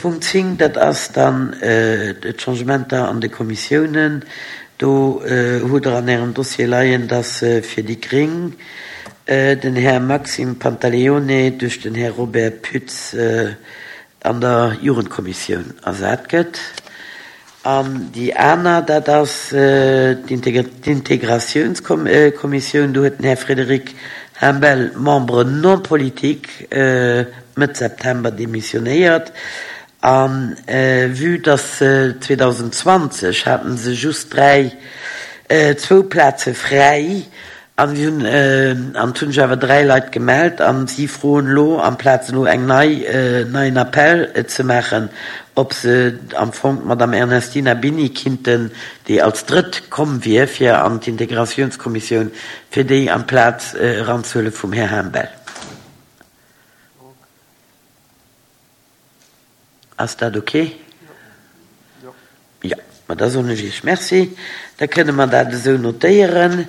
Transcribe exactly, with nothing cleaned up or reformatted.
Punkt zéng, dat ass dann d'Changementer an de Kommissiounen. Do hutt Der an Ärem Dossier leien, dass fir déi Gréng den Här Maxime Pantaleone duerch den Här Robert Pütz an der Jugendkommissioun ersat gëtt. An déi aner, dat ass d'Integratiounskommissioun. Do huet den Här Frédéric Himbel, Membre non politique, Mëtt September demissionéiert. A vue dass zweedausendzwanzeg hate se just dräi, zwou Plaze fräi an si hunn, an et hunn sech awer dräi Leit gemellt a si froen elo, amplaz elo eng nei, neien Appell ze maachen, ob se am Fong d'Madame Ernestina Bini kinnten, déi als Drëtt komm wier fir an d'Integratiounskommissioun, fir déi amplaz eranzehuele vum Här Himbel. Ass dat ok? Jo. Ma da soen ech Iech Merci. Da kënne mer dat esou notéieren.